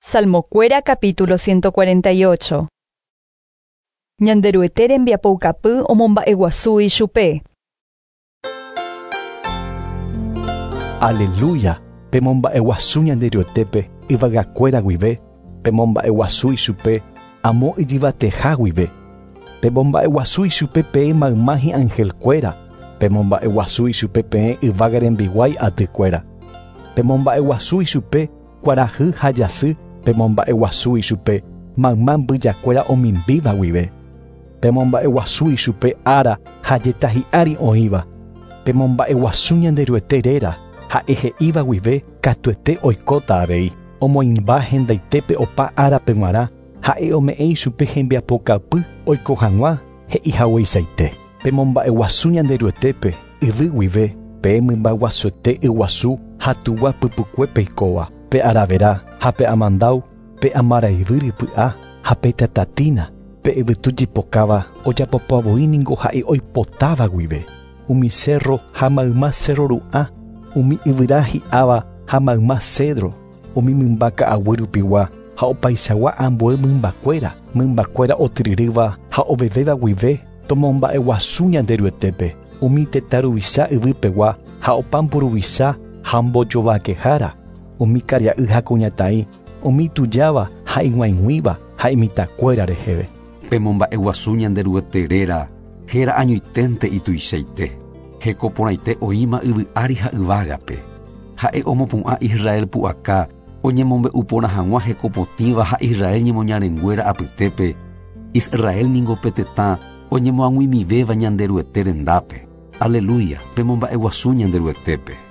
Salmokuéra capítulo 148. Ñanderuete rembiapoukapy omomba'eguasu ichupe. Aleluya, pemomba'eguasu Ñanderuetépe yvagakuéra guive, pemomba'eguasu ichupe amo ijyvateha guive. Pemomba'eguasu ichupe peẽ mayma hi'angelkuéra, pemomba'eguasu ichupe peẽ yvága rembiguái atykuéra. Pemomba'eguasu ichupe kuarahy ha jasy, pemomba'eguasu ichupe mayma mbyjakuéra omimbíva guive. Pemomba'eguasu ichupe ára ha jeta hi'ári oĩva. Pemomba'eguasu Ñanderuete réra, ha'e he'íva guive katuete oikóta avei. Omoĩmba hendaitépe opa árape g̃uarã, ha'e ome'ẽ ichupe hembiapokapy oiko hag̃ua he'ihagueichaite. Pemomba'eguasu Ñanderuetépe yvy guive, peẽ mymbaguasuete yguasu ha tugua pypukue peikóva, pe aravera ha pe amandáu, pe amarayvy rypy'a ha pe tatatína, pe yvytu jipokáva ojapopavoi ningo ha'e oipotáva guive. Umi cerro ha mayma cerro ru'ã, umi yvyra hi'áva ha mayma cedro, umi mymba ka'aguy rupigua ha opaichagua ambue mymbakuéra, mymbakuéra otyryrýva ha ovevéva guive tomomba'eguasu Ñanderuetépe, umi tetã ruvicha yvypegua ha opa mburuvicha ha mbojovakehára, umi karia'y ha kuñataĩ, umi tujáva ha ig̃uaig̃uíva ha imitãkuéra reheve. Pemomba'eguasu Ñanderuete réra, héra añoiténte ituichaite. Hekoporãite oĩma yvy ári ha yvágape. Ha'e omopu'ã Israel pu'aka oñemombe'u porã hag̃ua hekopotĩva ha Israel ñemoñarenguéra apytépe. Israel ningo pe tetã oñemoag̃uimivéva Ñanderuete rendápe. Aleluya, pemomba'eguasu Ñanderuetépe.